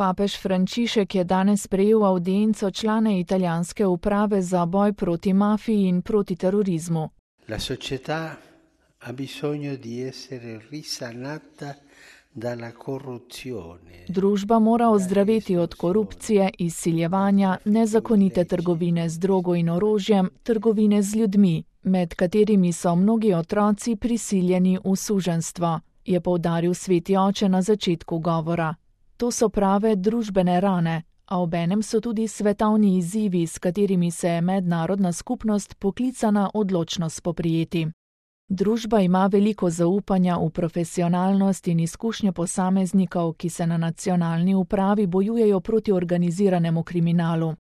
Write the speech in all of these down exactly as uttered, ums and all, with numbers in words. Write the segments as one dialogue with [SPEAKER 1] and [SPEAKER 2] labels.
[SPEAKER 1] Papež Frančišek je danes sprejel avdienco člane italijanske uprave za boj proti mafiji in proti terorizmu.
[SPEAKER 2] La società ha bisogno di essere risanata dalla corruzione.
[SPEAKER 1] Družba mora ozdraveti od korupcije, izsiljevanja, nezakonite trgovine z drogo in orožjem, trgovine z ljudmi, med katerimi so mnogi otroci prisiljeni v suženjstvo, je poudaril sveti oče na začetku govora. To so prave družbene rane, a obenem so tudi svetovni izzivi, s katerimi se je mednarodna skupnost poklicana odločno spoprijeti. Družba ima veliko zaupanja v profesionalnost in izkušnje posameznikov, ki se na nacionalni upravi bojujejo proti organiziranemu kriminalu.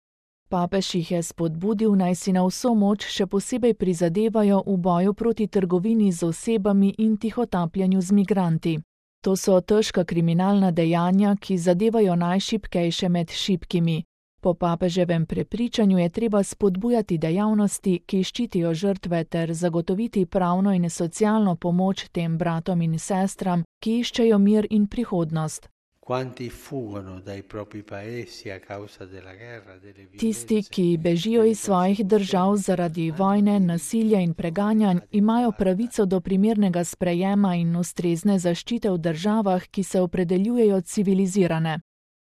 [SPEAKER 1] Papež jih je spodbudil, naj si na vso moč še posebej prizadevajo v boju proti trgovini z osebami in tihotapljanju z migranti. To so težka kriminalna dejanja, ki zadevajo najšibkejše med šibkimi. Po papeževem prepričanju je treba spodbujati dejavnosti, ki ščitijo žrtve ter zagotoviti pravno in socialno pomoč tem bratom in sestram, ki iščejo mir in prihodnost. Tisti, ki bežijo iz svojih držav zaradi vojne, nasilja in preganjanj, imajo pravico do primernega sprejema in ustrezne zaščite v državah, ki se opredeljujejo civilizirane.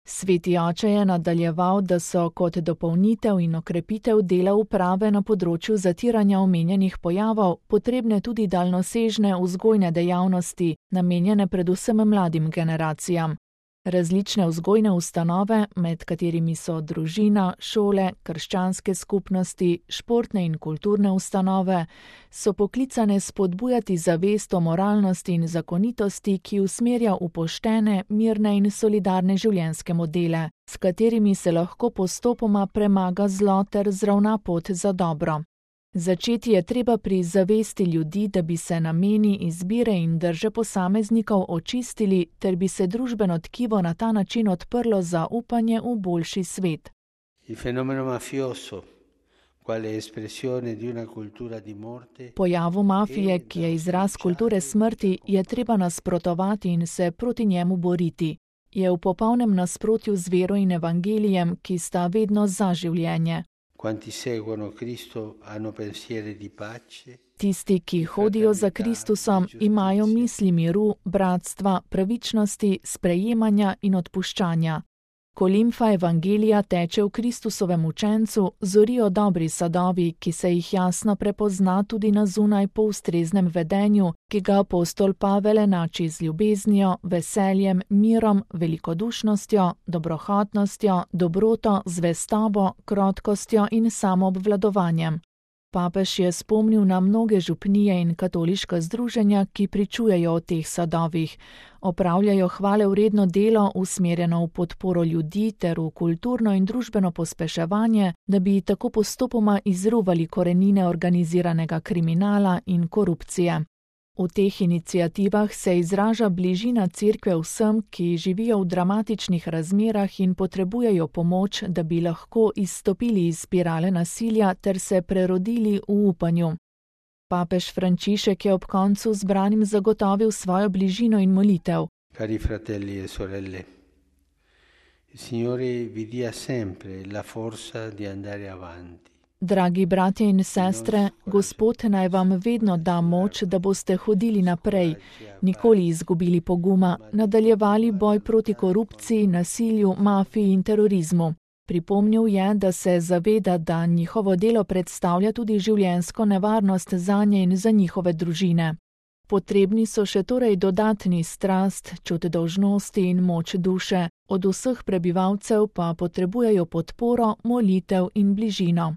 [SPEAKER 1] Sveti oče je nadaljeval, da so kot dopolnitev in okrepitev dela uprave na področju zatiranja omenjenih pojavov potrebne tudi daljnosežne vzgojne dejavnosti, namenjene predvsem mladim generacijam. Različne vzgojne ustanove, med katerimi so družina, šole, krščanske skupnosti, športne in kulturne ustanove, so poklicane spodbujati zavest o moralnosti in zakonitosti, ki usmerja v poštene, mirne in solidarne življenjske modele, s katerimi se lahko postopoma premaga zlo ter zravna pot za dobro. Začeti je treba pri zavesti ljudi, da bi se nameni, izbire in drže posameznikov očistili, ter bi se družbeno tkivo na ta način odprlo za upanje v boljši svet. Pojavu mafije, ki je izraz kulture smrti, je treba nasprotovati in se proti njemu boriti. Je v popolnem nasprotju z vero in evangelijem, ki sta vedno za življenje. Tisti, ki hodijo za Kristusom, imajo misli miru, bratstva, pravičnosti, sprejemanja in odpuščanja. Ko limfa evangelija teče v Kristusovem učencu, zorijo dobri sadovi, ki se jih jasno prepozna tudi na zunaj po ustreznem vedenju, ki ga apostol Pavel enači z ljubeznijo, veseljem, mirom, velikodušnostjo, dobrohotnostjo, dobroto, zvestobo, krotkostjo in samoobvladovanjem. Papež je spomnil na mnoge župnije in katoliška združenja, ki pričujejo o teh sadovih. Opravljajo hvalevredno delo, usmerjeno v podporo ljudi ter v kulturno in družbeno pospeševanje, da bi tako postopoma izruvali korenine organiziranega kriminala in korupcije. V teh iniciativah se izraža bližina cerkve vsem, ki živijo v dramatičnih razmerah in potrebujejo pomoč, da bi lahko izstopili iz spirale nasilja ter se prerodili v upanju. Papež Frančišek je ob koncu zbranim zagotovil svojo bližino in molitev.
[SPEAKER 2] Cari fratelli e sorelle, il Signore vi dia sempre la forza di andare avanti.
[SPEAKER 1] Dragi bratje in sestre, Gospod naj vam vedno da moč, da boste hodili naprej, nikoli izgubili poguma, nadaljevali boj proti korupciji, nasilju, mafiji in terorizmu. Pripomnil je, da se zaveda, da njihovo delo predstavlja tudi življenjsko nevarnost zanje in za njihove družine. Potrebni so še torej dodatni strast, čut dolžnosti in moč duše, od vseh prebivalcev pa potrebujejo podporo, molitev in bližino.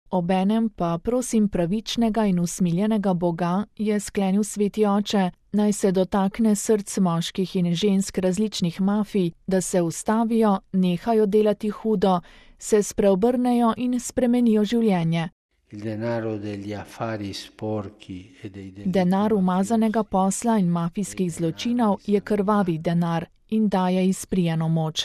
[SPEAKER 1] Obenem pa prosim pravičnega in usmiljenega Boga, je sklenil sveti oče, naj se dotakne src moških in žensk različnih mafij, da se ustavijo, nehajo delati hudo, se spreobrnejo in spremenijo življenje. Denar umazanega posla in mafijskih zločinov je krvavi denar in daje izprijeno moč.